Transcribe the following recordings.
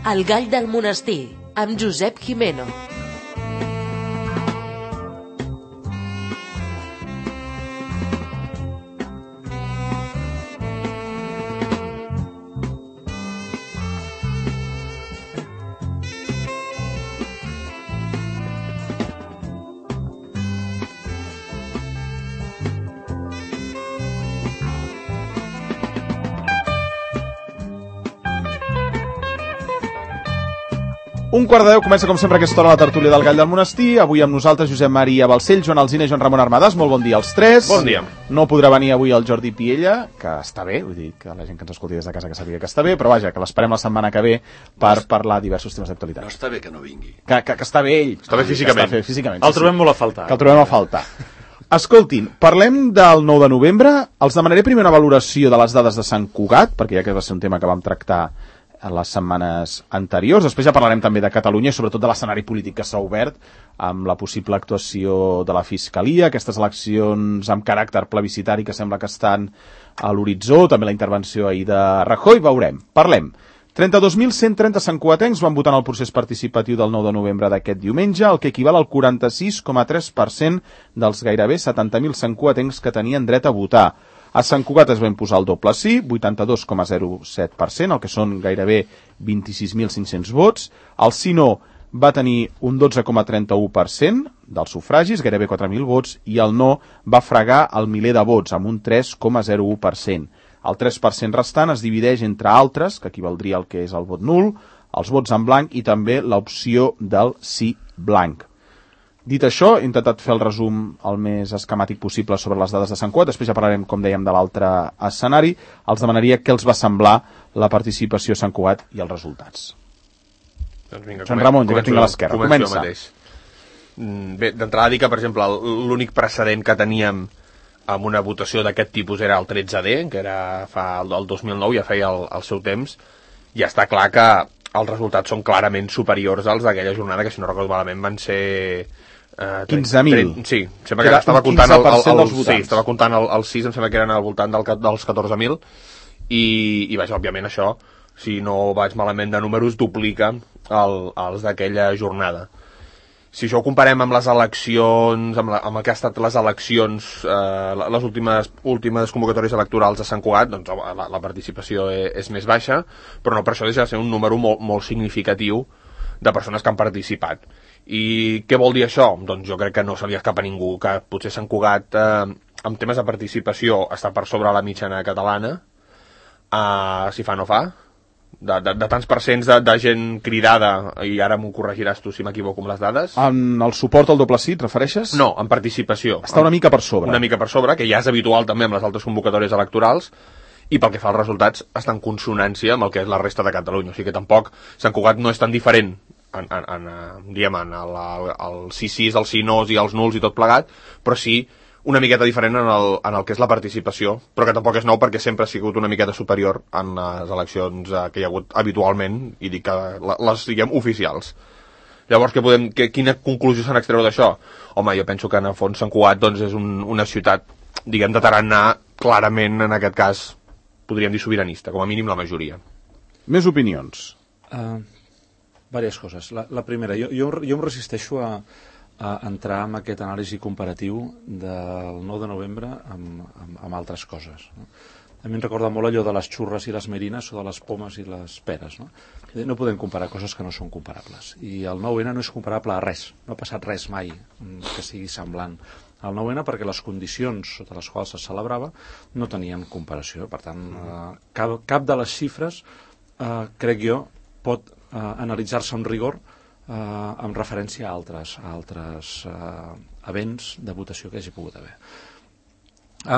El gall del monestir, amb Josep Gimeno. Un quart de 10, comença com sempre aquesta hora la tertúlia del Gall del Monestir. Avui amb nosaltres Josep Maria Balcell, Joan Alsina i Joan Ramon Armadas. Molt bon dia als tres. Bon dia. No podrà venir avui el Jordi Piella, que està bé, vull dir que la gent que ens escolti des de casa que sàpiga que està bé, però vaja, que l'esperem la setmana que ve per parlar diversos temes d'actualitat. No està bé que no vingui. Que està bé ell. Està bé físicament. Està bé físicament. El trobem molt a faltar. Que el trobem a faltar. Escoltin, parlem del 9 de novembre. Els demanaré primer una valoració de les dades de Sant Cugat, perquè ja que va ser un tema que vam tractar en les setmanes anteriors. Després ja parlarem també de Catalunya i sobretot de l'escenari polític que s'ha obert amb la possible actuació de la Fiscalia, aquestes eleccions amb caràcter plebiscitari que sembla que estan a l'horitzó, també la intervenció ahir de Rajoy. Veurem. Parlem. 32.130 santcugatencs van votar en el procés participatiu del 9 de novembre d'aquest diumenge, el que equival al 46,3% dels gairebé 70.000 santcugatencs que tenien dret a votar. A Sant Cugat es va imposar el doble sí, 82,07%, el que són gairebé 26.500 vots. El sí no va tenir un 12,31% dels sufragis, gairebé 4.000 vots, i el no va fregar el miler de vots, amb un 3,01%. El 3% restant es divideix entre altres, que equivaldria al que és el vot nul, els vots en blanc i també l'opció del sí blanc. Dit això, he intentat fer el resum el més esquemàtic possible sobre les dades de Sant Cugat. Després ja parlarem, com dèiem, de l'altre escenari. Els demanaria què els va semblar la participació a Sant Cugat i els resultats. Doncs vinga, Sant Ramon, ja que tinc a l'esquerra. Comença. Bé, d'entrada dir que, per exemple, l'únic precedent que teníem amb una votació d'aquest tipus era el 13D, que era el 2009, ja feia el seu temps. Ja està clar que els resultats són clarament superiors als d'aquella jornada, que si no recordo malament van ser 15.000. Sí, sembla que estava comptant estava comptant el 6, em sembla que eren al voltant dels 14.000 i vaja, òbviament això, si no vaig malament de números, duplica els d'aquella jornada. Si això ho comparem amb les eleccions, amb el que ha estat les eleccions, les últimes convocatòries electorals a Sant Cugat, doncs la participació és més baixa, però no per això deixa de ser un número molt significatiu de persones que han participat. I què vol dir això? Doncs jo crec que no se li escapa a ningú, que potser Sant Cugat, en temes de participació, està per sobre la mitjana catalana, si fa no fa, de tants percents de gent cridada, i ara m'ho corregiràs tu si m'equivoco amb les dades. En el suport al doble sí, et refereixes? No, en participació. Està una mica per sobre. Una mica per sobre, que ja és habitual també amb les altres convocatòries electorals, i pel que fa als resultats està en consonància amb el que és la resta de Catalunya. O sigui que tampoc Sant Cugat no és tan diferent diguem, el sí-sis, els sí-nos i els nuls i tot plegat, però sí una miqueta diferent en el que és la participació, però que tampoc és nou perquè sempre ha sigut una miqueta superior en les eleccions que hi ha hagut habitualment, i dic que les diguem oficials. Llavors, quina conclusió se n'extreu d'això? Home, jo penso que en el fons Sant Cugat doncs, és una ciutat, diguem, de tarannà clarament, en aquest cas, podríem dir sobiranista, com a mínim la majoria. Més opinions. Diverses coses. La primera, jo em resisteixo a entrar en aquest anàlisi comparatiu del 9 de novembre amb altres coses. No? A mi em recorda molt allò de les xurres i les merines o de les pomes i les peres. No podem comparar coses que no són comparables. I el 9N no és comparable a res. No ha passat res mai que sigui semblant al 9N perquè les condicions sota les quals se celebrava no tenien comparació. Per tant, cap de les xifres, crec jo, pot analitzar-se amb rigor amb referència a altres events de votació que hagi pogut haver.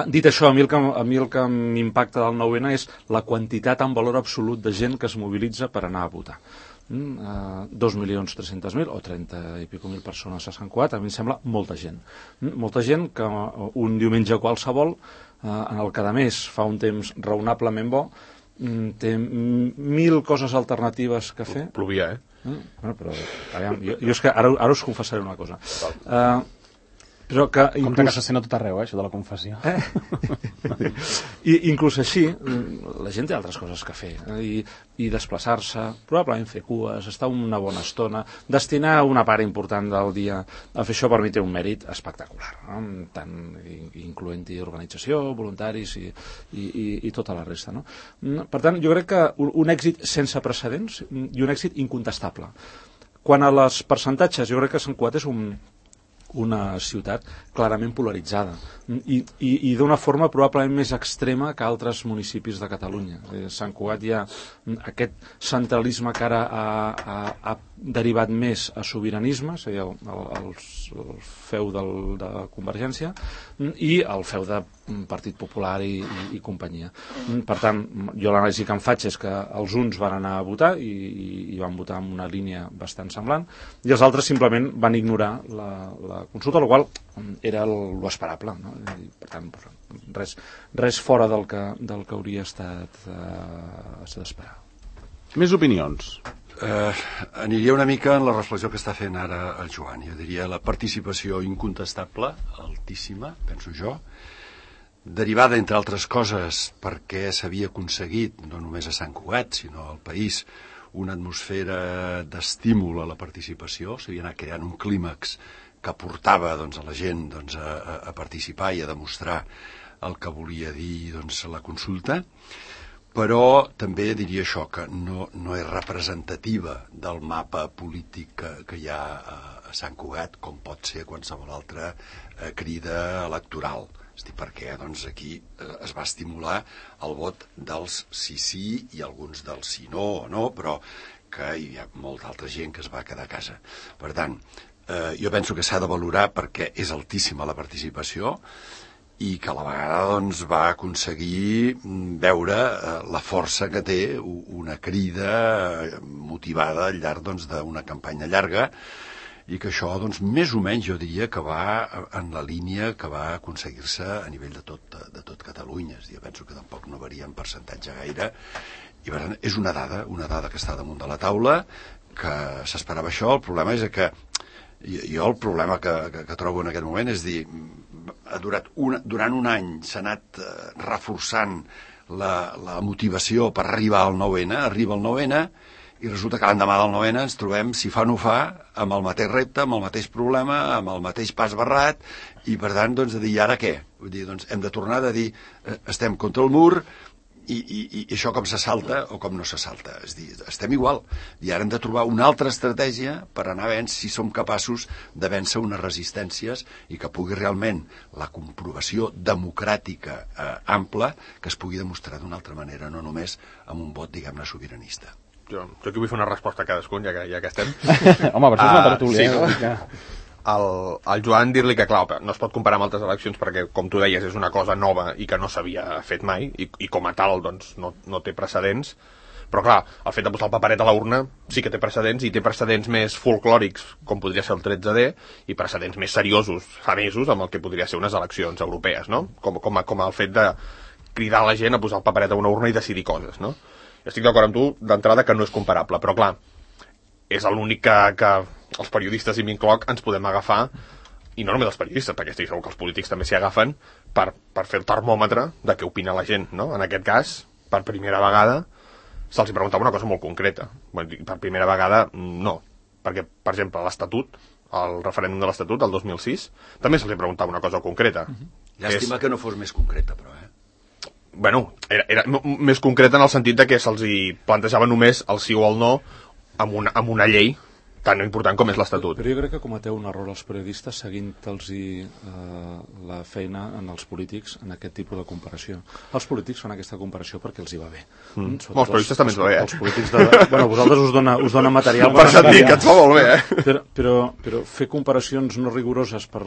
Dit això, a mi el que m'impacta del 9N és la quantitat en valor absolut de gent que es mobilitza per anar a votar. 2.300.000 o 30 i pico mil persones a Sant Cugat, a mi em sembla molta gent. Molta gent que un diumenge qualsevol, en el que a més fa un temps raonablement bo, té 1.000 coses alternatives que fer. Plovia, Bueno, però, jo és que ara us confessaré una cosa. Però que compte que se sent a tot arreu, això de la confessió. I inclús així, la gent té altres coses que fer, i desplaçar-se, probablement fer cues, estar una bona estona, destinar una part important del dia a fer això, per mi té un mèrit espectacular, no? Tant incloent-hi organització, voluntaris i tota la resta, no? Per tant, jo crec que un èxit sense precedents i un èxit incontestable. Quant a les percentatges, jo crec que Sant Cugat és una ciutat clarament polaritzada i d'una forma probablement més extrema que altres municipis de Catalunya. A Sant Cugat hi ha aquest centralisme que ara ha derivat més a sobiranisme, és a dir, el feu de Convergència i el feu de Partit Popular i companyia. Per tant, jo l'anàlisi que em faig és que els uns van anar a votar i van votar amb una línia bastant semblant i els altres simplement van ignorar la consulta, la qual era l'esperable, no? Per tant, res fora del que hauria estat d'esperar. Més opinions? Aniria una mica en la reflexió que està fent ara el Joan. Jo diria la participació incontestable, altíssima, penso jo, derivada, entre altres coses, perquè s'havia aconseguit, no només a Sant Cugat, sinó al país, una atmosfera d'estímul a la participació, s'havia anat creant un clímax que portava a la gent a participar i a demostrar el que volia dir la consulta, però també diria això, que no és representativa del mapa polític que hi ha a Sant Cugat, com pot ser qualsevol altra crida electoral. És a dir, perquè aquí es va estimular el vot dels sí i alguns dels sí no, però que hi ha molta altra gent que es va quedar a casa. Per tant, jo penso que s'ha de valorar perquè és altíssima la participació i que a la vegada va aconseguir veure la força que té una crida motivada al llarg d'una campanya llarga i que això, més o menys, jo diria que va en la línia que va aconseguir-se a nivell de tot Catalunya. Jo penso que tampoc no varia en percentatge gaire i per tant és una dada que està damunt de la taula, que s'esperava això. El problema és que jo el problema que trobo en aquest moment és dir, durant un any s'ha anat reforçant la motivació per arribar al 9N, arriba el 9N i resulta que l'endemà del 9N ens trobem, si fa no fa, amb el mateix repte, amb el mateix problema, amb el mateix pas barrat i per tant, de dir, i ara què? Vull dir, hem de tornar a dir, estem contra el mur i això com se salta o com no se salta. És dir, estem igual. I ara hem de trobar una altra estratègia per anar a si som capaços de vèncer unes resistències i que pugui realment la comprovació democràtica ampla que es pugui demostrar d'una altra manera, no només amb un vot, diguem-ne, sobiranista. Jo aquí vull fer una resposta a cadascun, ja que estem. Home, per això és una tertúlia. Sí, al Joan dir-li que, clar, no es pot comparar amb altres eleccions perquè, com tu deies, és una cosa nova i que no s'havia fet mai i com a tal, no té precedents. Però, clar, el fet de posar el paperet a la urna sí que té precedents i té precedents més folclòrics, com podria ser el 13D, i precedents més seriosos, fa mesos, amb el que podria ser unes eleccions europees, no? Com el fet de cridar a la gent a posar el paperet a una urna i decidir coses, no? Jo estic d'acord amb tu, d'entrada, que no és comparable, però, clar, és l'únic que els periodistes, i m'incloc, ens podem agafar, i no només els periodistes, perquè estic segur que els polítics també s'hi agafen, per fer el termòmetre de què opina la gent, no? En aquest cas, per primera vegada, se'ls preguntava una cosa molt concreta. Per primera vegada, no. Perquè, per exemple, l'Estatut, el referèndum de l'Estatut, el 2006, també se'ls preguntava una cosa concreta. Llàstima que no fos més concreta, però, Bueno, era més concreta en el sentit de que se'ls plantejava només el sí o el no amb una llei tan important com és l'Estatut. Però jo crec que cometeu un error els periodistes seguint-los la feina en els polítics en aquest tipus de comparació. Els polítics fan aquesta comparació perquè els hi va bé. Els periodistes també ens va bé, Els polítics vosaltres us dona material per sentir que et fa molt bé, Però fer comparacions no rigoroses per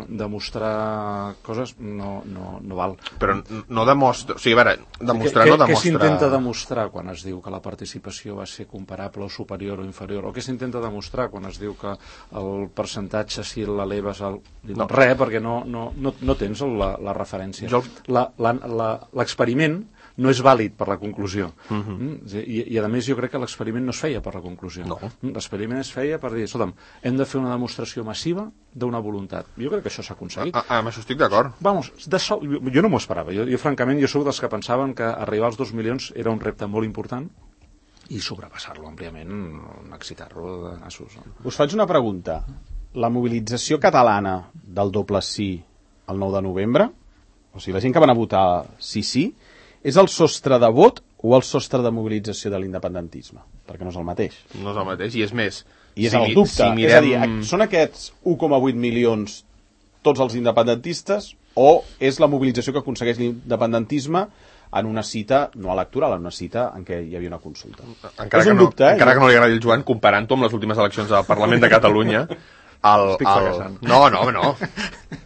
demostrar coses no val. Però no demostra... O sigui, a veure, demostrar no demostra... Què s'intenta demostrar quan es diu que la participació va ser comparable o superior o inferior? O què s'intenta demostrar quan es diu que el percentatge si l'eleves res, perquè no tens la referència. L'experiment no és vàlid per la conclusió. I a més jo crec que l'experiment no es feia per la conclusió. L'experiment es feia per dir, escolta'm, hem de fer una demostració massiva d'una voluntat. Jo crec que això s'ha aconseguit. Amb això estic d'acord. Vamos, jo no m'ho esperava. Jo francament, jo soc dels que pensaven que arribar als 2 milions era un repte molt important i sobrepassar-lo àmpliament, excitar-lo de nassos. Us faig una pregunta. La mobilització catalana del doble sí el 9 de novembre, o sigui, la gent que van a votar sí, és el sostre de vot o el sostre de mobilització de l'independentisme? Perquè no és el mateix. No és el mateix, i és més... I és el dubte. És a dir, són aquests 1,8 milions tots els independentistes o és la mobilització que aconsegueix l'independentisme en una cita no electoral, en una cita en què hi havia una consulta? Encara que no li agradi el Joan, comparant-ho amb les últimes eleccions al Parlament de Catalunya, No.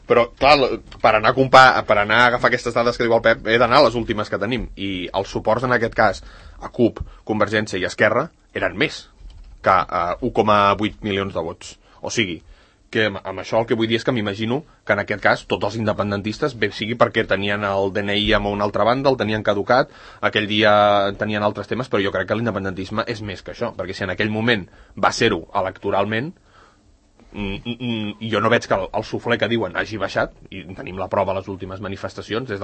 Però, clar, per anar a agafar aquestes dades que diu el Pep, he d'anar a les últimes que tenim. I els suports, en aquest cas, a CUP, Convergència i Esquerra, eren més que 1,8 milions de vots. O sigui, que amb això el que vull dir és que m'imagino que en aquest cas tots els independentistes, bé sigui perquè tenien el DNI a una altra banda, el tenien caducat, aquell dia tenien altres temes, però jo crec que l'independentisme és més que això, perquè si en aquell moment va ser-ho electoralment, jo no veig que el suflé que diuen hagi baixat, i tenim la prova a les últimes manifestacions, des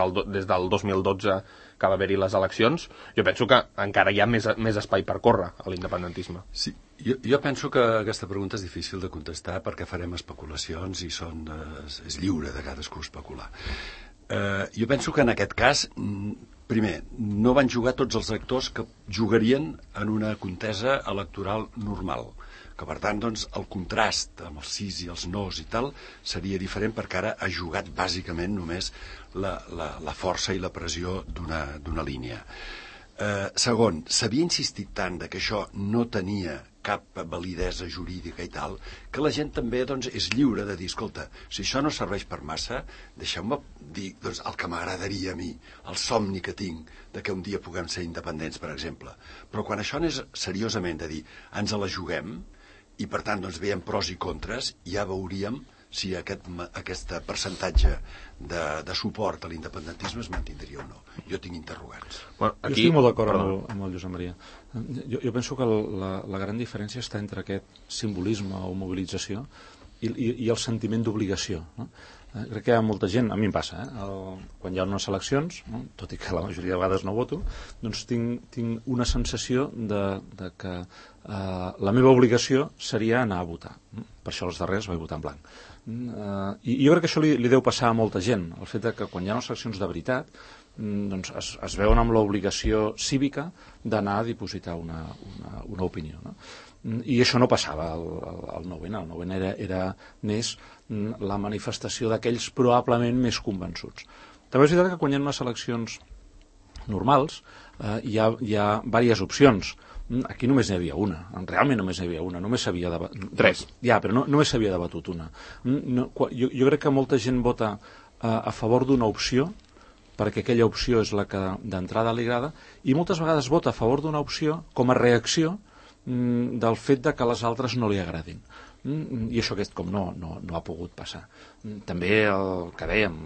del 2012 que va haver-hi les eleccions. Jo penso que encara hi ha més espai per córrer a l'independentisme. Sí, jo penso que aquesta pregunta és difícil de contestar perquè farem especulacions i és lliure de cadascú especular. Jo penso que en aquest cas, primer, no van jugar tots els actors que jugarien en una contesa electoral normal, que per tant doncs, el contrast amb els sís i els nos i tal seria diferent perquè ara ha jugat bàsicament només la força i la pressió d'una línia. Segon, s'havia insistit tant que això no tenia cap validesa jurídica i tal, que la gent també doncs, és lliure de dir, escolta, si això no serveix per massa, deixeu-me dir doncs, el que m'agradaria a mi, el somni que tinc de que un dia puguem ser independents, per exemple. Però quan això anés seriosament de dir, ens la juguem, i per tant doncs, veiem pros i contres, ja veuríem si aquest percentatge de suport a l'independentisme es mantindria o no. Jo tinc interrogants. Bueno, jo estic molt d'acord amb el Josep Maria. Jo penso que la gran diferència està entre aquest simbolisme o mobilització i el sentiment d'obligació, no? Crec que hi ha molta gent, a mi em passa, quan hi ha unes eleccions, no? Tot i que la majoria de vegades no voto, doncs tinc una sensació de que la meva obligació seria anar a votar. Per això els darrers vaig votar en blanc. I jo crec que això li deu passar a molta gent, el fet que quan hi ha unes eleccions de veritat doncs es veuen amb l'obligació cívica d'anar a dipositar una opinió, no? I això no passava al 9-N. El 9-N era més la manifestació d'aquells probablement més convençuts. També és veritat que quan hi ha unes eleccions normals hi ha diverses opcions. Aquí només n'hi havia una, realment només n'hi havia una, només s'havia debatut... Tres. Ja, però només s'havia debatut una. Jo crec que molta gent vota a favor d'una opció, perquè aquella opció és la que d'entrada li agrada, i moltes vegades vota a favor d'una opció com a reacció del fet que les altres no li agradin. I això com no ha pogut passar. També el que dèiem,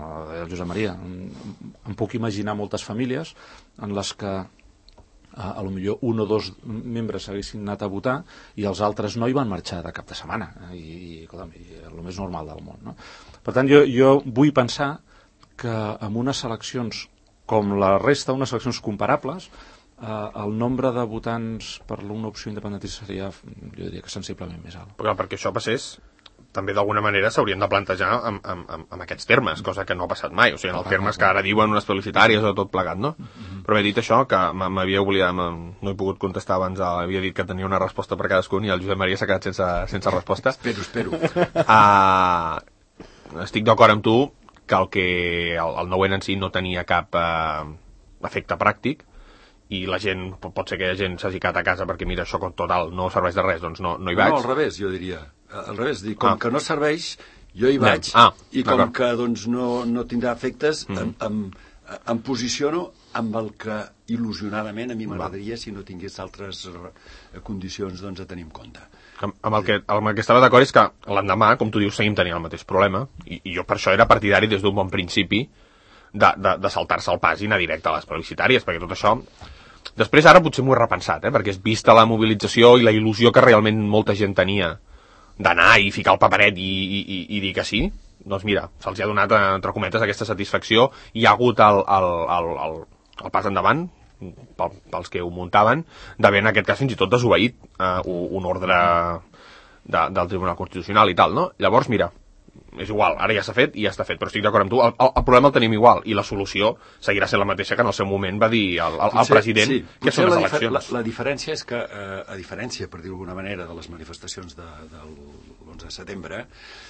el Josep Maria, em puc imaginar moltes famílies en les que a lo millor un o dos membres haguessin anat a votar i els altres no hi van marxar de cap de setmana, i el més normal del món, no? Per tant, jo vull pensar que amb unes eleccions com la resta, unes eleccions comparables, el nombre de votants per una opció independentista seria, jo diria que sensiblement més alt. Perquè això passés, també d'alguna manera s'haurien de plantejar amb aquests termes, cosa que no ha passat mai, o sigui, en els termes que ara diuen unes felicitàries o tot plegat, no? Però he dit això, que m'havia oblidat, no he pogut contestar abans, havia dit que tenia una resposta per cadascun i el Josep Maria s'ha quedat sense resposta. Espero. Estic d'acord amb tu que el 9-N en si no tenia cap efecte pràctic, i la gent, pot ser que la gent s'hagi quedat a casa perquè mira, això total no serveix de res, doncs no hi vaig. No, al revés, jo diria. Al revés, com que no serveix, jo hi vaig, i com que doncs, no tindrà efectes, em posiciono amb el que il·lusionadament a mi m'agradaria si no tingués altres condicions doncs, a tenir en compte. Amb el que estava d'acord és que l'endemà, com tu dius, seguim tenint el mateix problema, i jo per això era partidari des d'un bon principi de saltar-se el pas i anar directe a les plebiscitàries, perquè tot això... Després ara potser m'ho he repensat, perquè és vista la mobilització i la il·lusió que realment molta gent tenia d'anar i ficar el paperet i dir que sí, doncs mira, se'ls ha donat, entre cometes, aquesta satisfacció, i hi ha hagut el pas endavant, pels que ho muntaven, d'haver en aquest cas fins i tot desobeït un ordre del Tribunal Constitucional i tal, no? Llavors, mira, és igual, ara ja s'ha fet i ja està fet, però estic d'acord amb tu, el problema el tenim igual, i la solució seguirà sent la mateixa que en el seu moment va dir el president, sí, que són les eleccions. La diferència és que, a diferència, per dir-ho d'alguna manera, de les manifestacions de l'11 de setembre,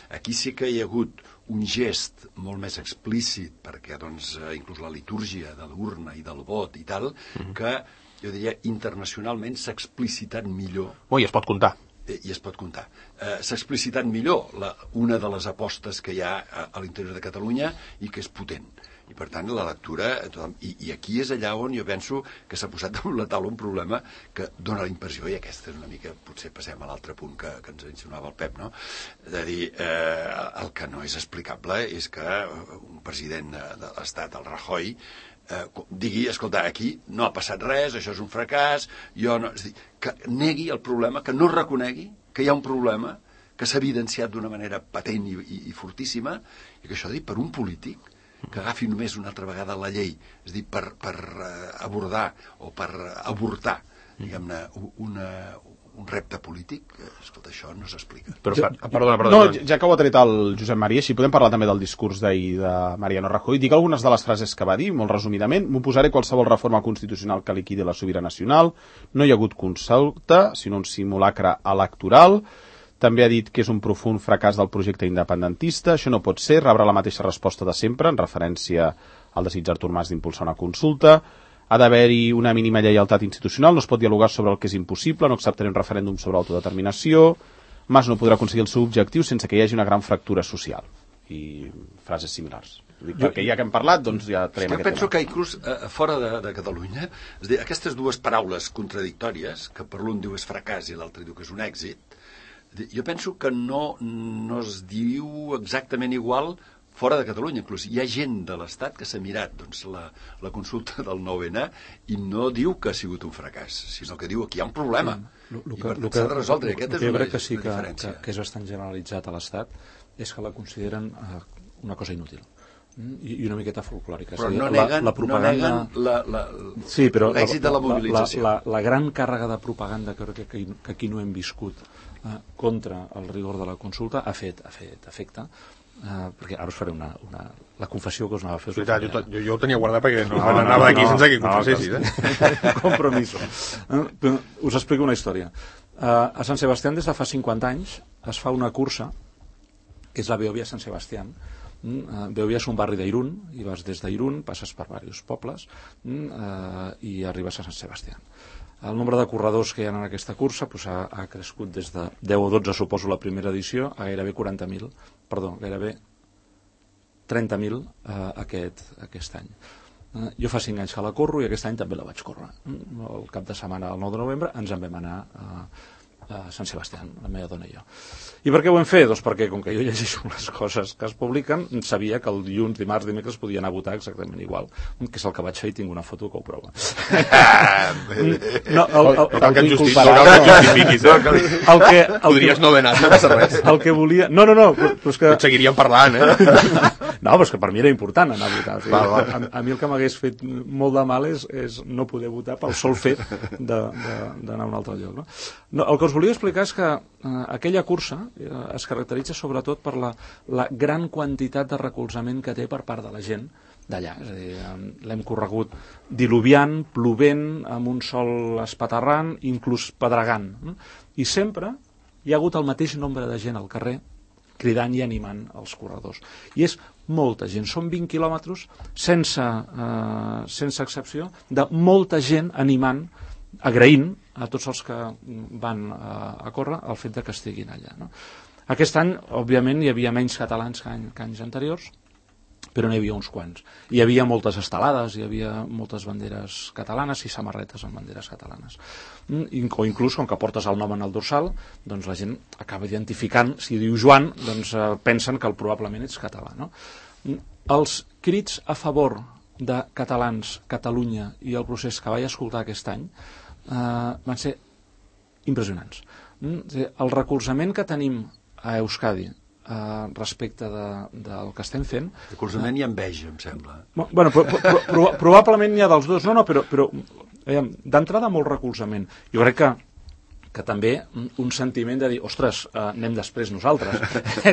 aquí sí que hi ha hagut un gest molt més explícit, perquè doncs, inclús la litúrgia de l'urna i del vot i tal, que jo diria internacionalment s'ha explicitat millor. I es pot comptar. I es pot comptar. S'ha explicitat millor una de les apostes que hi ha a l'interior de Catalunya i que és potent. I per tant la lectura... I aquí és allà on jo penso que s'ha posat damunt la taula un problema que dona la impressió, i aquesta és una mica... Potser passem a l'altre punt que ens insinuava el Pep, no? De dir, el que no és explicable és que un president de l'Estat, el Rajoy, digui, escolta, aquí no ha passat res, això és un fracàs, jo no... És a dir, que negui el problema, que no reconegui que hi ha un problema, que s'ha evidenciat d'una manera patent i fortíssima, i que això, per un polític que agafi només una altra vegada la llei, és a dir, per abordar o per avortar, diguem-ne, un repte polític, escolta, això no s'explica. Perdona. No, ja que ho ha tret el Josep Maria, si podem parlar també del discurs d'ahir de Mariano Rajoy, dic algunes de les frases que va dir, molt resumidament. M'ho posaré: qualsevol reforma constitucional que liquidi la sobirania nacional, no hi ha hagut consulta, sinó un simulacre electoral. També ha dit que és un profund fracàs del projecte independentista, això no pot ser, rebrà la mateixa resposta de sempre, en referència al desig d'Artur Mas d'impulsar una consulta. Ha d'haver-hi una mínima lleialtat institucional, no es pot dialogar sobre el que és impossible, no acceptaré un referèndum sobre autodeterminació, Mas no podrà aconseguir el seu objectiu sense que hi hagi una gran fractura social. I frases similars. Perquè ja que hem parlat, doncs ja traiem aquest tema. Jo penso que inclús fora de Catalunya, és dir, aquestes dues paraules contradictòries, que per l'un diu és fracàs i l'altre diu que és un èxit, jo penso que no es diu exactament igual fora de Catalunya. Inclús hi ha gent de l'Estat que s'ha mirat doncs, la consulta del 9-N i no diu que ha sigut un fracàs, sinó que diu que hi ha un problema i per tant s'ha de resoldre. Aquesta és una diferència. Que és bastant generalitzat a l'Estat és que la consideren una cosa inútil i una miqueta folclòrica. Però no neguen l'èxit de la mobilització. La gran càrrega de propaganda que aquí no hem viscut contra el rigor de la consulta ha fet efecte. Perquè ara us faré la confessió que us anava a fer. Jo ho tenia guardat perquè no anava d'aquí sense que confessessis. Compromiso. Us explico una història. A Sant Sebastián des de fa 50 anys es fa una cursa que és la Beovia Sant Sebastián. Beovia és un barri d'Irún i vas des d'Irún, passes per diversos pobles i arribes a Sant Sebastián. El nombre de corredors que hi ha en aquesta cursa ha crescut des de 10 o 12, suposo, la primera edició, a gairebé 40.000, gairebé 30.000 aquest any. Jo fa 5 anys que la corro i aquest any també la vaig córrer. El cap de setmana, el 9 de novembre, ens en vam anar a Sant Sebastián, la meva dona i jo. I per què ho hem fet? Doncs perquè, com que jo llegeixo les coses que es publiquen, sabia que el dilluns, dimarts, dimecres podia anar a votar exactament igual, que és el que vaig fer i tinc una foto que ho prova. Podries no haver anat, no passa res. El que volia... No, però és que... Et seguiríem parlant, No, però és que per mi era important anar a votar. A mi el que m'hagués fet molt de mal és no poder votar pel sol fet d'anar a un altre lloc. El que us volia explicar és que aquella cursa es caracteritza sobretot per la gran quantitat de recolzament que té per part de la gent d'allà. És a dir, l'hem corregut diluviant, plovent, amb un sol espaterrant, inclús pedregant. I sempre hi ha hagut el mateix nombre de gent al carrer cridant i animant els corredors. I és molta gent, són 20 quilòmetres sense excepció, de molta gent animant, agraint a tots els que van a córrer el fet que estiguin allà. Aquest any, òbviament, hi havia menys catalans que anys anteriors, però n'hi havia uns quants. Hi havia moltes estelades, hi havia moltes banderes catalanes i samarretes amb banderes catalanes. O inclús, com que portes el nom en el dorsal, doncs la gent acaba identificant, si diu Joan, doncs pensen que probablement ets català. els crits a favor de catalans, Catalunya i el procés que vaig escoltar aquest any van ser impressionants. El recolzament que tenim a Euskadi respecte del que estem fent... Recolzament i enveja, em sembla. Bueno, probablement n'hi ha dels dos, però d'entrada molt recolzament. Jo crec que també un sentiment de dir, ostres, anem després nosaltres,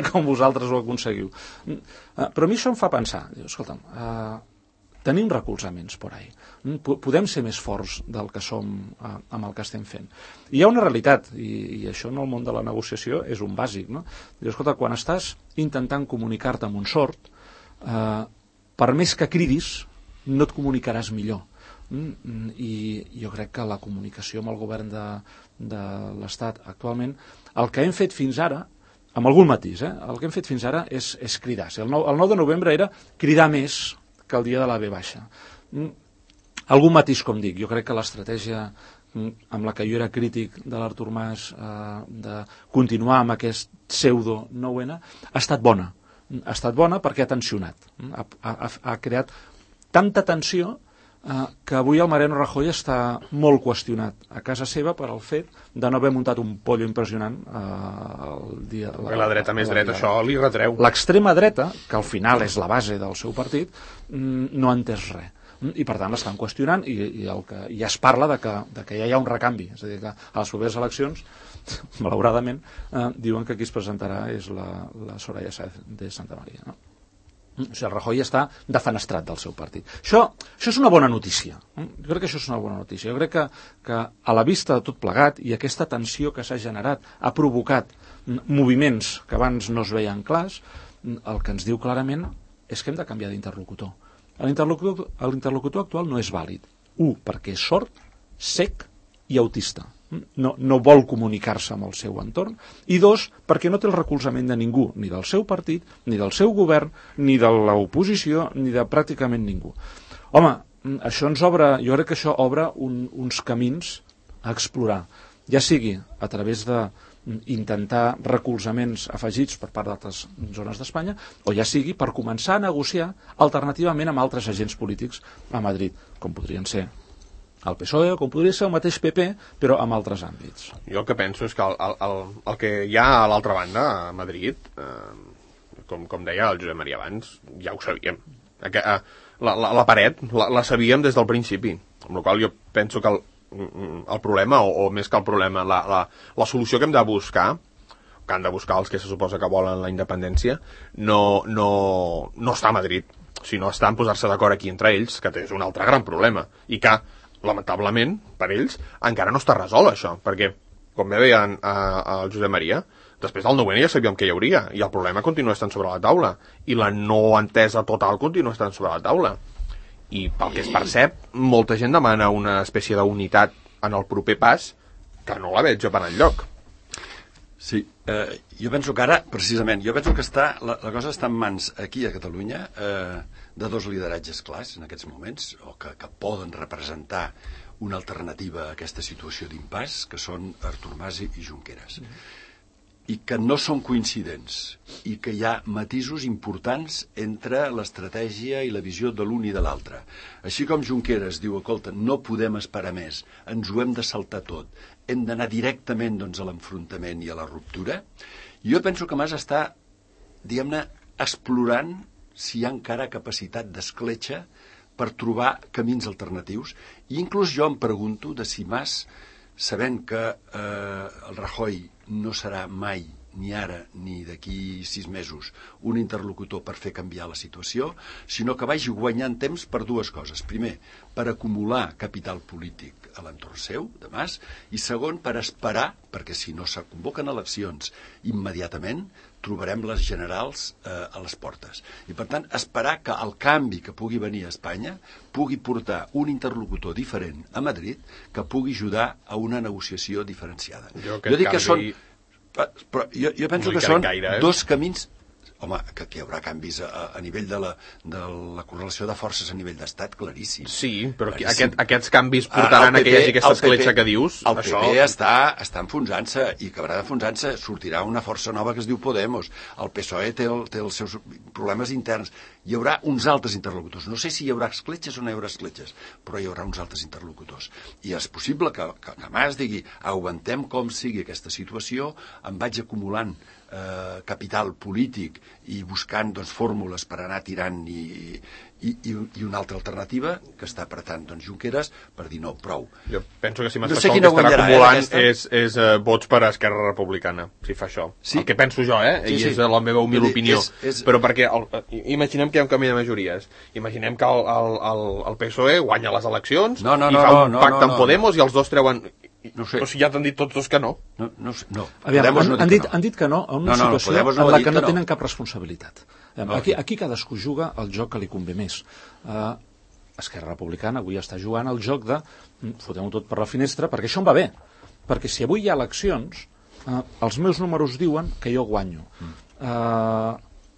com vosaltres ho aconseguiu. Però a mi això em fa pensar, escolta'm, tenim recolzaments por ahí. Podem ser més forts del que som amb el que estem fent. I hi ha una realitat, i això en el món de la negociació és un bàsic, no? Escolta, quan estàs intentant comunicar-te amb un sord, per més que cridis, no et comunicaràs millor. I jo crec que la comunicació amb el govern de l'Estat actualment, el que hem fet fins ara, amb algun matís, el que hem fet fins ara és cridar. El 9 de novembre era cridar més que el dia de la V baixa. Algun matís, com dic, jo crec que l'estratègia amb la que jo era crític de l'Artur Mas de continuar amb aquest pseudo 9N ha estat bona. Ha estat bona perquè ha tensionat. Ha creat tanta tensió que avui el Mariano Rajoy està molt qüestionat a casa seva per al fet de no haver muntat un pollo impressionant el dia... La dreta més dreta, això li retreu. L'extrema dreta, que al final és la base del seu partit, no ha entès res. I per tant l'estan qüestionant i ja es parla de que ja hi ha un recanvi. És a dir, que a les properes eleccions, malauradament, diuen que qui es presentarà és la Soraya Sáez de Santa María, no? O sigui, el Rajoy està defenestrat del seu partit. Això és una bona notícia. Jo crec que això és una bona notícia. Jo crec que a la vista de tot plegat i aquesta tensió que s'ha generat ha provocat moviments que abans no es veien clars, el que ens diu clarament és que hem de canviar d'interlocutor. L'interlocutor actual no és vàlid. Perquè és sord, sec i autista. No vol comunicar-se amb el seu entorn, i dos, perquè no té el recolzament de ningú, ni del seu partit, ni del seu govern, ni de l'oposició, ni de pràcticament ningú. Home, això ens obre, jo crec que això obre uns camins a explorar, ja sigui a través d'intentar recolzaments afegits per part d'altres zones d'Espanya, o ja sigui per començar a negociar alternativament amb altres agents polítics a Madrid, com podrien ser el PSOE, com podria ser el mateix PP, però amb altres àmbits. Jo el que penso és que el que hi ha a l'altra banda, a Madrid, com deia el Josep Maria abans, ja ho sabíem. La paret la sabíem des del principi, amb la qual jo penso que el problema, o més que el problema, la solució que hem de buscar, que han de buscar els que se suposa que volen la independència, no està a Madrid, sinó està en posar-se d'acord aquí entre ells, que és un altre gran problema, i que lamentablement, per ells, encara no està resolt això, perquè, com bé deia el Josep Maria, després del 9N ja sabíem que hi hauria, i el problema continua estant sobre la taula, i la no entesa total continua estant sobre la taula. I pel que es percep, molta gent demana una espècie d'unitat en el proper pas, que no la veig per enlloc. Sí, jo penso que ara, precisament, la cosa està en mans aquí a Catalunya de dos lideratges clars en aquests moments, o que poden representar una alternativa a aquesta situació d'impàs, que són Artur Mas i Junqueras. I que no són coincidents, i que hi ha matisos importants entre l'estratègia i la visió de l'un i de l'altre. Així com Junqueras diu, escolta, no podem esperar més, ens ho hem de saltar tot, hem d'anar directament a l'enfrontament i a la ruptura, jo penso que Mas està, diguem-ne, explorant si hi ha encara capacitat d'escletxa per trobar camins alternatius, i inclús jo em pregunto de si Mas, sabent que el Rajoy no serà mai, ni ara ni d'aquí 6 mesos, un interlocutor per fer canviar la situació, sinó que vagi guanyant temps per dues coses. Primer, per acumular capital polític a l'entorn seu, de Mas, i segon, per esperar, perquè si no se convoquen eleccions immediatament, trobarem les generals a les portes. I per tant, esperar que el canvi que pugui venir a Espanya pugui portar un interlocutor diferent a Madrid que pugui ajudar a una negociació diferenciada. Jo dic que són... Però jo penso que són dos camins... Home, que hi haurà canvis a nivell de la correlació de forces a nivell d'estat, claríssim. Sí, però aquests canvis portaran a que hi hagi aquesta escletxa que dius? El PP està enfonsant-se i acabarà enfonsant-se, sortirà una força nova que es diu Podemos. El PSOE té els seus problemes interns hi haurà uns altres interlocutors. No sé si hi haurà escletxes o no hi haurà escletxes, però hi haurà uns altres interlocutors. I és possible que Mas digui, aguantem com sigui aquesta situació, em vaig acumulant capital polític i buscant fórmules per anar tirant i una altra alternativa que està apretant Junqueras per dir no, prou. Jo penso que si Mas no fa sé això, el que estarà acumulant és vots per a Esquerra Republicana, si fa això. Sí? El que penso jo, i és la meva humil opinió. Però perquè imaginem que hi ha un canvi de majories. Imaginem que el PSOE guanya les eleccions i fa un pacte amb Podemos i els dos treuen... No sé. Però si ja t'han dit tots dos que no. No. Aviam, han dit que no a una situació en la que no tenen cap responsabilitat. Aquí cadascú juga el joc que li convé més. Esquerra Republicana avui està jugant el joc de fotem-ho tot per la finestra, perquè això em va bé. Perquè si avui hi ha eleccions, els meus números diuen que jo guanyo.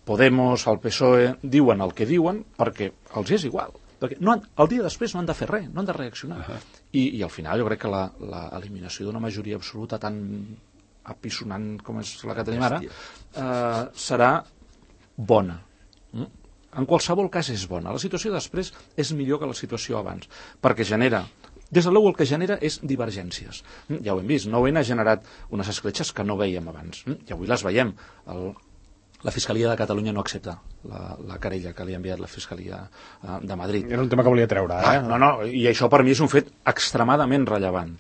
Podemos, el PSOE, diuen el que diuen perquè els és igual. Perquè el dia després no han de fer res, no han de reaccionar. I al final jo crec que l'eliminació d'una majoria absoluta tan apissonant com és la que tenim ara serà bona. En qualsevol cas és bona. La situació després és millor que la situació abans, perquè genera... Des de l'EU el que genera és divergències. Ja ho hem vist, 9-N ha generat unes escletxes que no veiem abans. I avui les veiem. La Fiscalia de Catalunya no accepta la querella que li ha enviat la Fiscalia de Madrid. Era un tema que volia treure, No, i això per mi és un fet extremadament rellevant.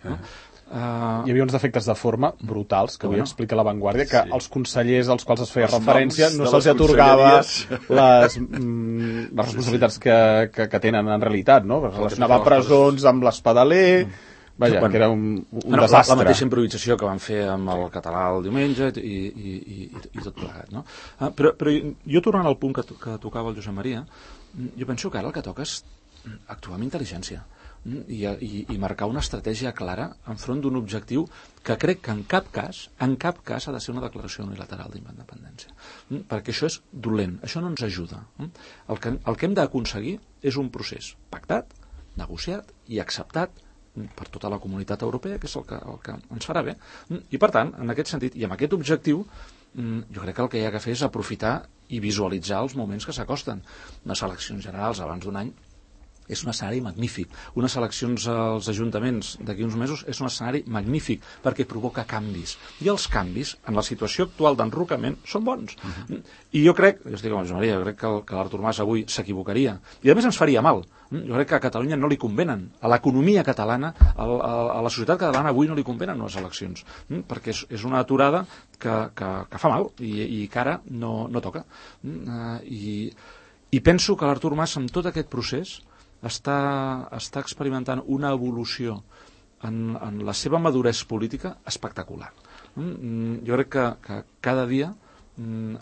Hi havia uns defectes de forma brutals, que avui explica La Vanguardia, que els consellers als quals es feia referència no se'ls atorgava les responsabilitats que tenen en realitat, no? Relacionava presons amb l'Espadaler... Vaja, que era un desastre. La mateixa improvisació que van fer amb el català el diumenge i tot plegat, no? Però jo tornant al punt que tocava el Josep Maria, jo penso que ara el que toca és actuar amb intel·ligència i marcar una estratègia clara enfront d'un objectiu que crec que en cap cas ha de ser una declaració unilateral d'independència. Perquè això és dolent, això no ens ajuda. El que hem d'aconseguir és un procés pactat, negociat i acceptat per tota la comunitat europea, que és el que ens farà bé. I per tant, en aquest sentit, i amb aquest objectiu, jo crec que el que hi ha que fer és aprofitar i visualitzar els moments que s'acosten. Unes eleccions generals abans d'un any és un escenari magnífic. Unes eleccions als ajuntaments d'aquí uns mesos és un escenari magnífic perquè provoca canvis. I els canvis, en la situació actual d'enrocament, són bons. I jo estic amb Josep Maria, jo crec que l'Artur Mas avui s'equivocaria. I a més ens faria mal. Jo crec que a Catalunya no li convenen. A l'economia catalana, a la societat catalana avui no li convenen les eleccions. Perquè és una aturada que fa mal i que ara no toca. I penso que l'Artur Mas, amb tot aquest procés, està experimentant una evolució en la seva maduresa política espectacular. Jo crec que cada dia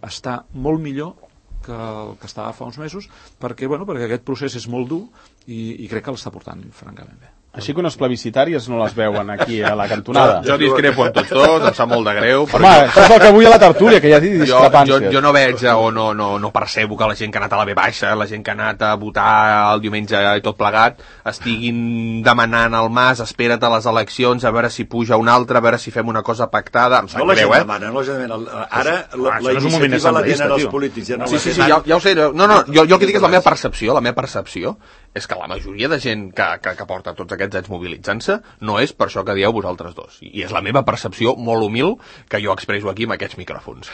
està molt millor que el que estava fa uns mesos perquè aquest procés és molt dur i crec que l'està portant francament bé. Així que unes plebiscitàries no les veuen aquí a la cantonada. Jo discrepo amb tots dos, em sap molt de greu. Home, això és el que vull a la tertúlia, que hi ha discrepàncies. Jo no veig o no percebo que la gent que ha anat a la V baixa, la gent que ha anat a votar el diumenge i tot plegat, estiguin demanant al Mas, espera't a les eleccions, a veure si puja un altre, a veure si fem una cosa pactada. Em sap greu, No la gent demana. Ara la iniciativa la tenen els polítics. Sí, ja ho sé. No, jo el que dic és la meva percepció. La meva percepció és que la majoria de gent que porta tots aquests anys mobilitzant-se no és per això que dieu vosaltres dos. I és la meva percepció molt humil que jo expresso aquí amb aquests micròfons.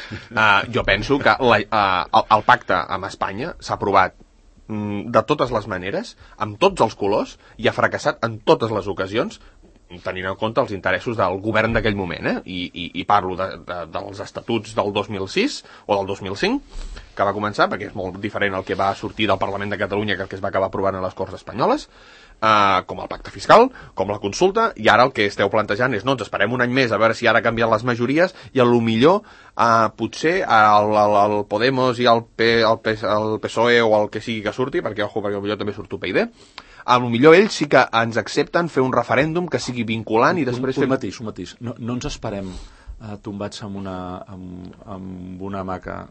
Jo penso que el pacte amb Espanya s'ha aprovat de totes les maneres, amb tots els colors, i ha fracassat en totes les ocasions, tenint en compte els interessos del govern d'aquell moment, i parlo dels estatuts del 2006 o del 2005, que va començar, perquè és molt diferent el que va sortir del Parlament de Catalunya que el que es va acabar aprovant a les Corts Espanyoles, com el pacte fiscal, com la consulta, i ara el que esteu plantejant és, no, ens esperem un any més a veure si ara canvien les majories, i a lo millor potser el Podemos i el PSOE o el que sigui que surti, perquè potser també surt UPyD, a lo millor ells sí que ens accepten fer un referèndum que sigui vinculant i després... Un matís. No ens esperem tombats amb una hamaca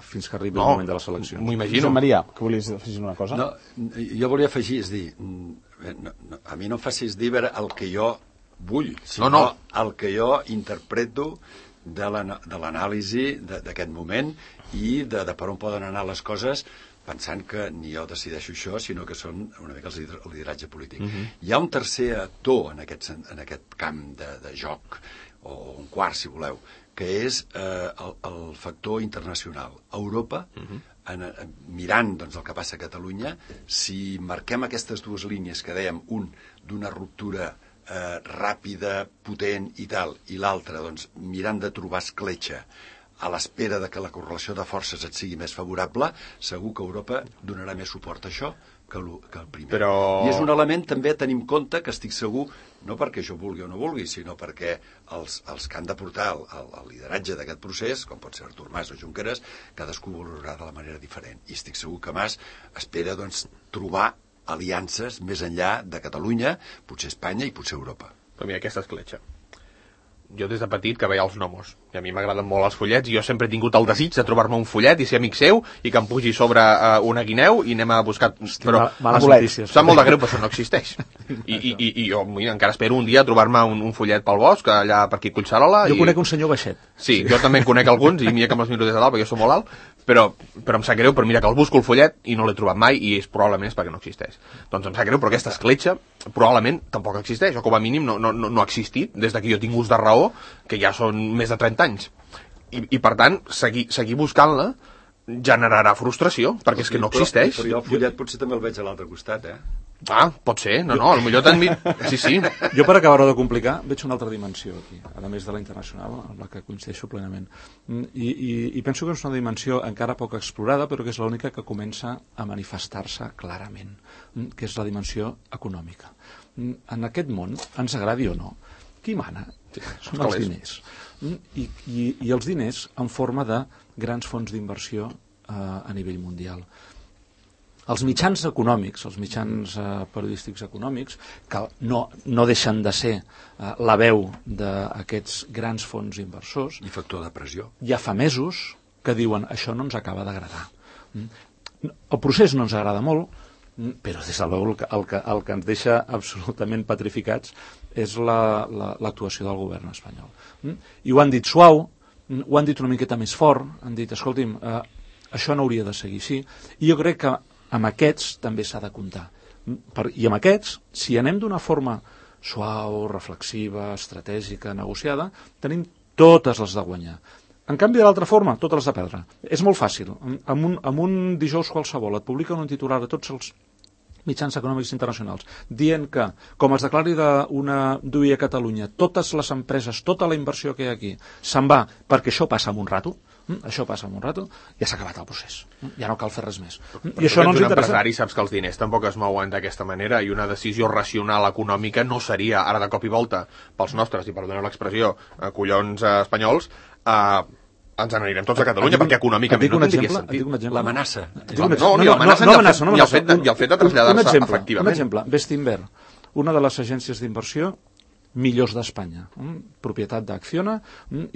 fins que arribi el moment de les eleccions. M'ho imagino. Josep Maria, que volies afegir una cosa? No, jo volia afegir, és dir, a mi no em facis dir el que jo vull, sinó el que jo interpreto de l'anàlisi d'aquest moment i de per on poden anar les coses pensant que ni jo decideixo això, sinó que són una mica el lideratge polític. Hi ha un tercer actor en aquest camp de joc, o un quart, si voleu, que és el factor internacional. Europa, mirant doncs, el que passa a Catalunya, si marquem aquestes dues línies que dèiem, un d'una ruptura ràpida, potent i tal, i l'altra, doncs, mirant de trobar escletxa a l'espera de que la correlació de forces et sigui més favorable, segur que Europa donarà més suport a això que el primer. I és un element també a tenir en compte, que estic segur, no perquè jo vulgui o no vulgui, sinó perquè els que han de portar el lideratge d'aquest procés, com pot ser Artur Mas o Junqueras, cadascú ho valorarà de la manera diferent. I estic segur que Mas espera doncs, trobar aliances més enllà de Catalunya, potser Espanya i potser Europa. Però mira, aquesta escletxa. Jo des de petit que veia els gnomos, i a mi m'agraden molt els follets, i jo sempre he tingut el desig de trobar-me un follet i ser amic seu, i que em pugi sobre una guineu i anem a buscar... Però males notícies. Sap molt de greu, però això no existeix. I jo mira, encara espero un dia trobar-me un follet pel bosc, allà per aquí a Collserola. Jo conec un senyor baixet. Sí, jo també en conec alguns, i mira que me'ls miro des de dalt, perquè jo soc molt alt, però em sap greu, però mira que el busco el follet i no l'he trobat mai, i probablement és perquè no existeix. Doncs em sap greu, però aquesta escletxa probablement tampoc existeix, o com a mínim no ha existit des que jo tinc ús de raó, que ja són més de 30 anys. I per tant, seguir buscant-la generarà frustració, perquè és que no existeix. Però jo el follet potser també el veig a l'altre costat, Ah, pot ser, potser també... Sí. Jo, per acabar-ho de complicar, veig una altra dimensió aquí, a més de la internacional, amb la que coincideixo plenament. I penso que és una dimensió encara poc explorada, però que és l'única que comença a manifestar-se clarament, que és la dimensió econòmica. En aquest món, ens agradi o no, qui mana? Són els diners. I els diners en forma de grans fons d'inversió a nivell mundial. Els mitjans econòmics, els mitjans periodístics econòmics, que no deixen de ser la veu d'aquests grans fons inversors... I factor de pressió. Ja fa mesos que diuen això no ens acaba d'agradar. El procés no ens agrada molt, però des de l'ou el que ens deixa absolutament petrificats és l'actuació del govern espanyol. I ho han dit suau, ho han dit una miqueta més fort, han dit, escolti'm, això no hauria de seguir així, i jo crec que amb aquests també s'ha de comptar. I amb aquests, si anem d'una forma suau, reflexiva, estratègica, negociada, tenim totes les de guanyar. En canvi, de l'altra forma, totes les de perdre. És molt fàcil. En un dijous qualsevol et publiquen un titular a tots els mitjans econòmics internacionals, dient que, com es declari d'una DUI a Catalunya, totes les empreses, tota la inversió que hi ha aquí, se'n va perquè això passa en un rato, ja s'ha acabat el procés. Ja no cal fer res més. I això no ens interessa. Empresari, saps que els diners tampoc es mouen d'aquesta manera, i una decisió racional econòmica no seria, ara de cop i volta, pels nostres, i perdoneu l'expressió, collons espanyols, ens n'anirem tots a Catalunya, perquè econòmicament no tindria sentit. L'amenaça. No, l'amenaça ni el fet de traslladar-se efectivament. Un exemple, Bestinver, una de les agències d'inversió millors d'Espanya, propietat d'Acciona,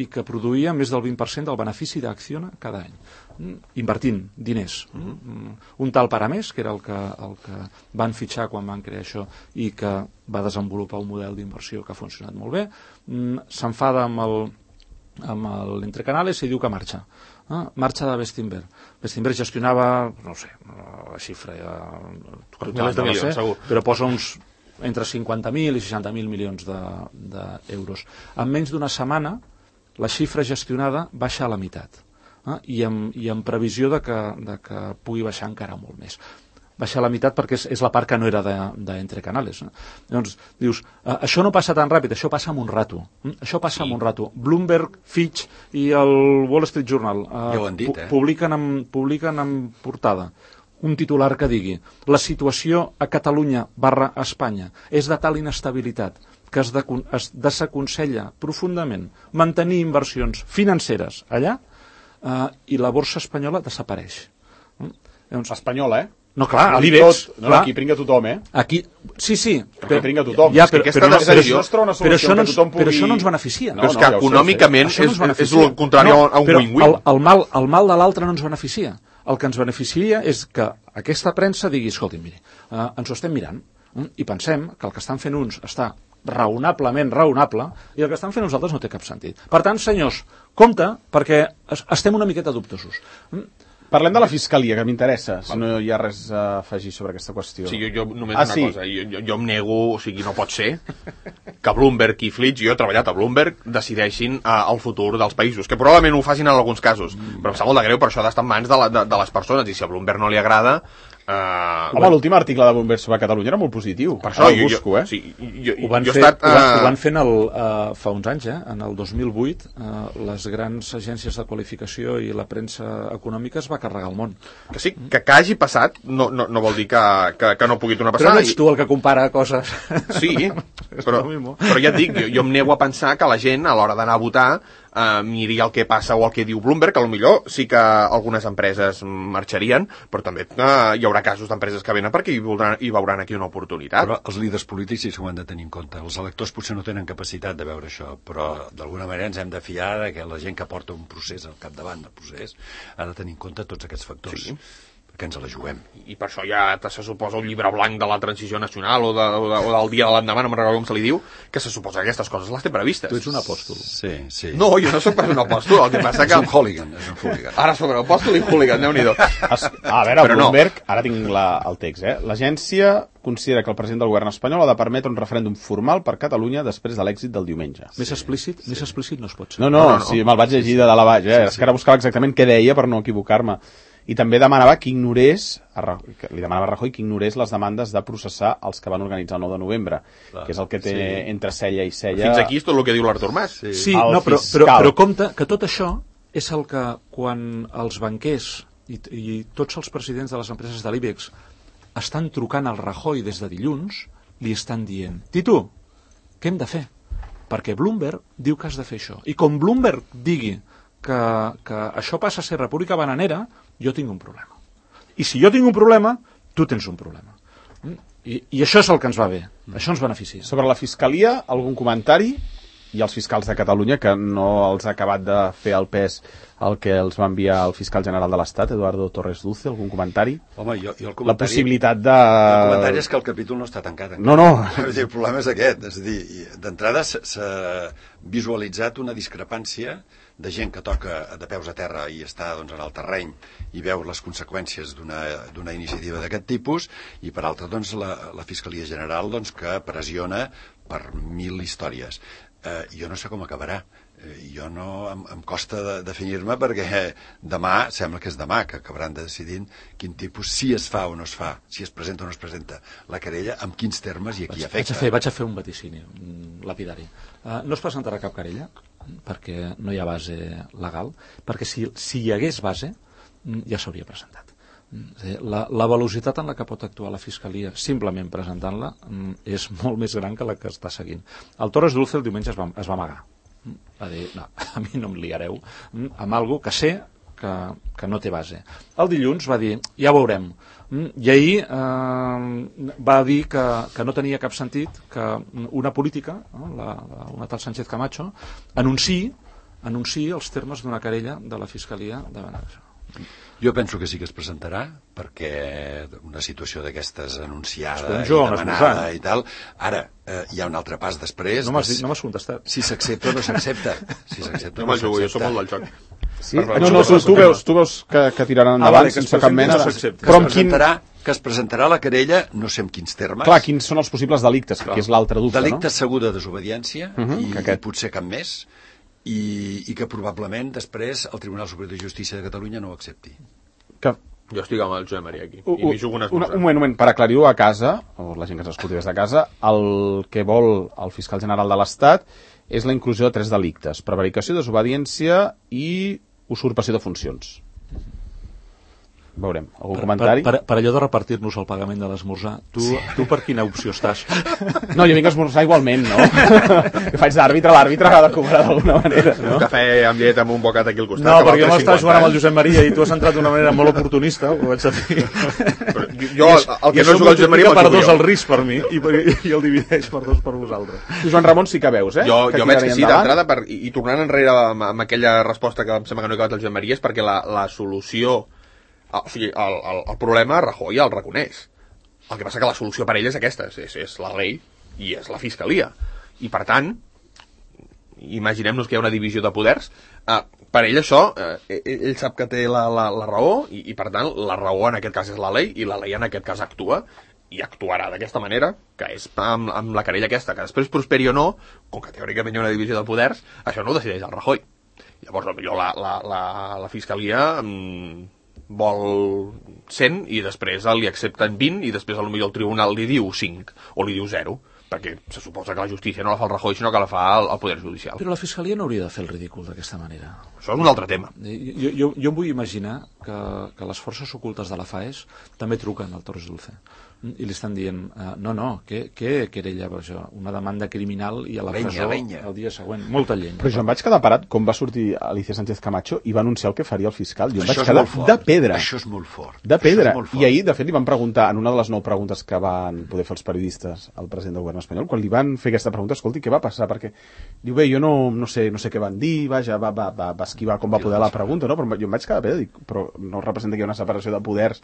i que produïa més del 20% del benefici d'Acciona cada any, invertint diners. Un tal Paramés, que era el que van fitxar quan van crear això i que va desenvolupar un model d'inversió que ha funcionat molt bé, s'enfada amb l'Entrecanales i diu que marxa. Marxa de Bestinver. Bestinver gestionava, no sé, la xifra milers de milions, segur, però posa uns entre 50.000 i 60.000 milions d'euros. En menys d'una setmana, la xifra gestionada baixa a la meitat, i amb previsió de que pugui baixar encara molt més. Baixa a la meitat perquè és la part que no era d'Entrecanales. Llavors, dius, això no passa tan ràpid, això passa en un rato. Bloomberg, Fitch i el Wall Street Journal publiquen en portada un titular que digui: la situació a Catalunya / Espanya és de tal inestabilitat que es desaconsella profundament mantenir inversions financeres allà, i la borsa espanyola desapareix. Espanyola, No, clar, a l'IBEX. Aquí pringa tothom, Aquí, sí. Aquí pringa tothom. Però això no ens beneficia. Però és que econòmicament és el contrari a un win-win. El mal de l'altre no ens beneficia. El que ens beneficia és que aquesta premsa digui, escolti, miri, ens ho estem mirant i pensem que el que estan fent uns està raonablement raonable i el que estan fent uns altres no té cap sentit. Per tant, senyors, compte, perquè estem una miqueta dubtosos. Parlem de la Fiscalia, que m'interessa, si no hi ha res a afegir sobre aquesta qüestió. Sí, jo només una cosa, jo em nego, o sigui, no pot ser que Bloomberg i Fitch, jo he treballat a Bloomberg, decideixin el futur dels països, que probablement ho facin en alguns casos, però em sap molt de greu, per això ha d'estar en mans de les persones, i si a Bloomberg no li agrada... Home, l'últim article de Bloomberg sobre Catalunya era molt positiu. Per això ho busco, Sí, ho van fent fa uns anys, en el 2008, les grans agències de qualificació i la premsa econòmica es va carregar el món. Que sí, que hagi passat no vol dir que no pugui tornar a passar. Però no ets tu el que compara coses. Sí, però ja et dic, jo em nego a pensar que la gent, a l'hora d'anar a votar, miri el que passa o el que diu Bloomberg, que potser sí que algunes empreses marxarien, però també hi haurà casos d'empreses que venen perquè hi veuran aquí una oportunitat. Però els líders polítics sí que ho han de tenir en compte. Els electors potser no tenen capacitat de veure això, però d'alguna manera ens hem de fiar de que la gent que porta un procés al capdavant del procés ha de tenir en compte tots aquests factors. Sí. Que ens la juguem. I per això ja se suposa un llibre blanc de la transició nacional o del dia de l'endemà, no me'n recordo com se li diu, que se suposa que aquestes coses les té previstes. Tu ets un apòstol. Sí. No, jo no soc pas un apòstol, el que passa que... És un hooligan. Ara sobre apòstol i hooligan, Déu-n'hi-do. A veure, Bloomberg, ara tinc el text, l'agència considera que el president del govern espanyol ha de permetre un referèndum formal per Catalunya després de l'èxit del diumenge. Més explícit no es pot ser. No, sí, me'l vaig llegir de dalt a baix, és que ara buscava exactament què deia per no equivocar-me. I també demanava que ignorés, li demanava a Rajoy que ignorés les demandes de processar els que van organitzar el 9 de novembre, que és el que té entre cella i cella... Fins aquí és tot el que diu l'Artur Mas. Sí, no, però compte que tot això és el que quan els banquers i tots els presidents de les empreses de l'IBEX estan trucant al Rajoy des de dilluns, li estan dient: Titu, què hem de fer? Perquè Bloomberg diu que has de fer això. I com Bloomberg digui que això passa a ser república bananera, jo tinc un problema. I si jo tinc un problema, tu tens un problema. I això és el que ens va bé. Això ens beneficia. Sobre la Fiscalia, algun comentari? I els fiscals de Catalunya, que no els ha acabat de fer el pes el que els va enviar el fiscal general de l'Estat, Eduardo Torres Dulce, algun comentari? Home, jo el comentari... La possibilitat de... El comentari és que el capítol no està tancat encara. No. El problema és aquest. És a dir, d'entrada s'ha visualitzat una discrepància de gent que toca de peus a terra i està en el terreny i veu les conseqüències d'una iniciativa d'aquest tipus, i per altra la Fiscalia General que pressiona per 1000 històries. Jo no sé com acabarà. Jo em costa definir-me, perquè demà, sembla que és demà que acabaran de decidir quin tipus, si es fa o no es fa, si es presenta o no es presenta la querella, amb quins termes i a qui afecta. Vaig a fer un vaticini lapidari. No es presentarà cap querella, perquè no hi ha base legal, perquè si hi hagués base ja s'hauria presentat. La velocitat en la que pot actuar la Fiscalia simplement presentant-la és molt més gran que la que està seguint. El Torres Dulce el diumenge es va amagar, va dir: no, a mi no em liareu amb alguna que sé que no té base. El dilluns va dir: ja veurem. I ahir va dir que no tenia cap sentit que una política, una tal Sánchez Camacho, anunciï els termes d'una querella de la Fiscalia davant d'això. Jo penso que sí que es presentarà, perquè una situació d'aquestes anunciada i demanada i tal... Ara, hi ha un altre pas després... No m'has contestat. Si s'accepta o no s'accepta. No me'l jugo, jo som molt del joc. Sí? No, tu veus que tiraran endavant sense cap mena... Però que es presentarà la querella, no sé en quins termes... Clar, quins són els possibles delictes, que és l'altre dubte, no? Delicte segur de desobediència, i potser cap més, i que probablement després el Tribunal Superior de Justícia de Catalunya no ho accepti. Jo estic amb el Josep Maria aquí, i m'hi jugo unes un moment, per aclarir-ho a casa, o la gent que s'escolti des de casa, el que vol el fiscal general de l'Estat és la inclusió de 3 delictes: prevaricació, desobediència i usurpació de funcions. Veurem. Algun comentari? Per allò de repartir-nos el pagament de l'esmorzar, tu per quina opció estàs? No, jo vinc a esmorzar igualment, no? Jo faig d'àrbitre, l'àrbitre ha de cobrar d'alguna manera, no? Un cafè amb llet amb un bocat aquí al costat. No, perquè jo m'estava jugant amb el Josep Maria i tu has entrat d'una manera molt oportunista, ho vaig a dir. Jo, el que no jugo al Josep Maria, per 2 el risc per mi i el divideix per 2 per vosaltres. Tu, Joan Ramon, sí que veus, Jo veig que sí, d'entrada, i tornant enrere amb aquella resposta que em sembla que no he acabat el Josep Maria, és perquè la solució... O sigui, el problema Rajoy el reconeix. El que passa que la solució per ell és aquesta, és la llei i és la Fiscalia. I per tant, imaginem-nos que hi ha una divisió de poders, per ell això, ell sap que té la raó, i per tant la raó en aquest cas és la llei, i la llei en aquest cas actua, i actuarà d'aquesta manera, que és amb la querella aquesta, que després prosperi o no, com que teòricament hi ha una divisió de poders, això no ho decideix el Rajoy. Llavors, potser la Fiscalia vol 100 i després li accepten 20 i després potser el tribunal li diu 5 o li diu 0, perquè se suposa que la justícia no la fa el Rajoy, sinó que la fa el Poder Judicial. Però la Fiscalia no hauria de fer el ridícul d'aquesta manera. Això és un altre tema. Jo em vull imaginar que les forces ocultes de la FAES també truquen al Torres Dulce i li estan dient, què querella per això? Una demanda criminal i a la presó el dia següent. Molta llenya. Però jo em vaig quedar parat com va sortir Alicia Sánchez Camacho i va anunciar el que faria el fiscal. Jo em vaig quedar de pedra. Això és molt fort. De pedra. I ahir, de fet, li van preguntar, en una de les 9 preguntes que van poder fer els periodistes al president del govern espanyol, quan li van fer aquesta pregunta, escolti, què va passar? Perquè diu, bé, jo no sé què van dir, vaja, va esquivar com va poder la pregunta, no? Però jo em vaig quedar de pedra, dic, però no representa que hi ha una separació de poders,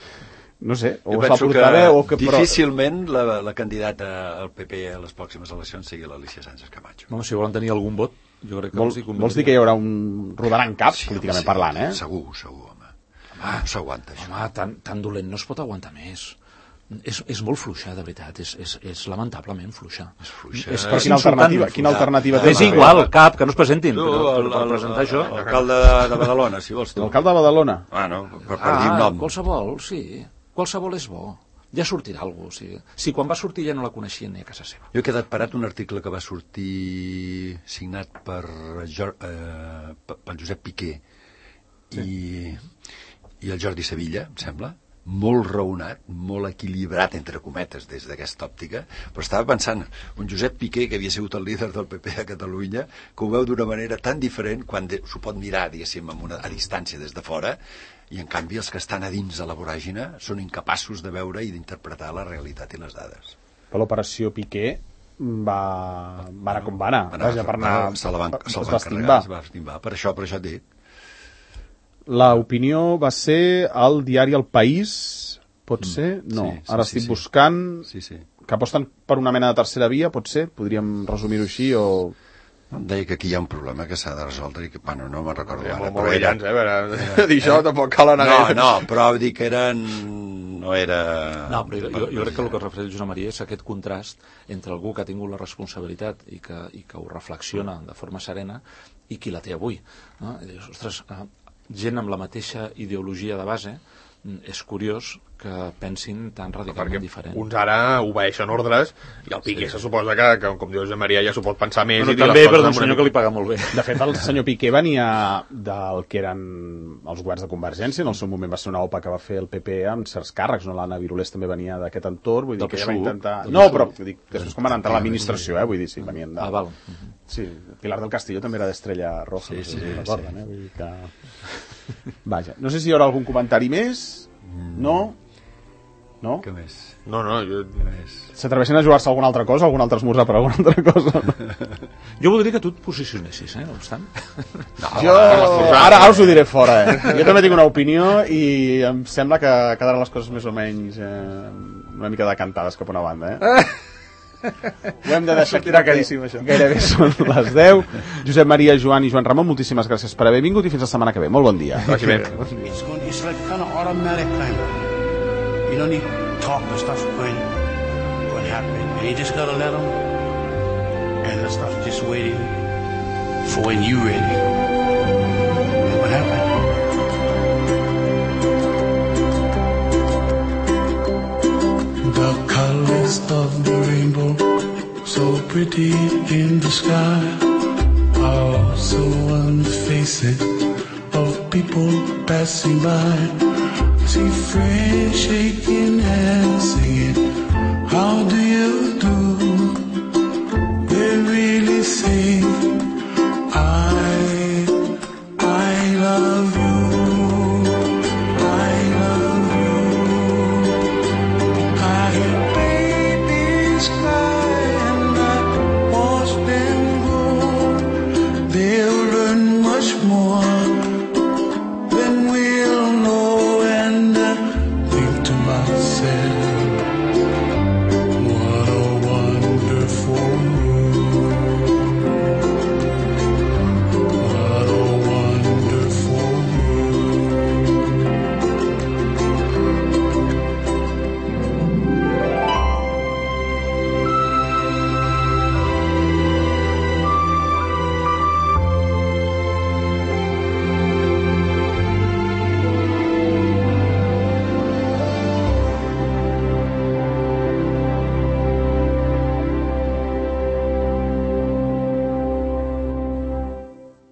no sé, o es va portar bé o que... Difícilment la candidata al PP a les pròximes eleccions sigui l'Alicia Sánchez Camacho. No, si volen tenir algun vot, jo crec que vols dir que hi haurà un rodaran cap, políticament parlant, eh? Segur, home. No s'aguanta, això. Home, tan dolent no es pot aguantar més. És molt fluixa, de veritat, és lamentablement fluixa. És fluixa. Però quina alternativa té? És igual, cap, que no es presentin, per presentar això. L'alcalde de Badalona, si vols tu. L'alcalde de Badalona? Per dir un nom. Qualsevol, sí. Qualsevol és bo. Ja sortirà algú. Si quan va sortir ja no la coneixien ni a casa seva. Jo he quedat parat un article que va sortir signat pel Josep Piqué i el Jordi Sevilla, em sembla, molt raonat, molt equilibrat, entre cometes, des d'aquesta òptica, però estava pensant, un Josep Piqué, que havia sigut el líder del PP a Catalunya, que ho veu d'una manera tan diferent, quan s'ho pot mirar, diguéssim, a distància des de fora, i en canvi els que estan a dins de la voràgina són incapaços de veure i d'interpretar la realitat i les dades. Per l'operació Piqué va anar com va anar. Se va estimbar. Per això et dic. L'opinió va ser al diari El País, pot ser? No, ara estic buscant que aposten per una mena de tercera via, pot ser? Podríem resumir-ho així o... Em deia que aquí hi ha un problema que s'ha de resoldre i que, bueno, no me'n recordo ara. Molt brillants, per dir això tampoc cal anar gaire. No, però vull dir que no era... No, però jo crec que el que es refereix Josep Maria és aquest contrast entre algú que ha tingut la responsabilitat i que ho reflexiona de forma serena i qui la té avui. No? I dius, ostres, gent amb la mateixa ideologia de base, és curiós que pensin tan radicalment diferent. Uns ara obeeixen ordres i el Piqué se suposa que, com diu Josep Maria, ja s'ho pot pensar més. Però també per un senyor que li paga molt bé. De fet, el senyor Piqué venia del que eren els governs de Convergència, en el seu moment va ser una OPA que va fer el PP amb certs càrrecs, no? L'Anna Virulés també venia d'aquest entorn, vull dir que ja va intentar... No, però dic, després com van entrar a l'administració, vull dir, sí, venien de... val. Sí, Pilar del Castillo també era d'Estrella Roja, no sé si recorden, vull dir que... Vaja, no sé si hi haurà algun comentari més. No? Què més? No, s'atreveixen a jugar-se alguna altra cosa, algun altre esmorzar per alguna altra cosa? Jo voldria que tu et posicionessis, no obstant. Ara us ho diré fora, Jo també tinc una opinió i em sembla que quedaran les coses més o menys una mica decantades cap a una banda, Ho hem de deixar aquí, això. Gairebé són les 10. Josep Maria, Joan i Joan Ramon, moltíssimes gràcies per haver vingut i fins la setmana que ve. Molt bon dia. Vagi bé. It's like kind of automatic kind of. You don't need to talk, the stuff's going to happen. And you just got to let them, and the stuff's just waiting for when you're ready. And what happened? The colors of the rainbow, so pretty in the sky, are also on the faces of people passing by. See friends shaking hands, singing, how do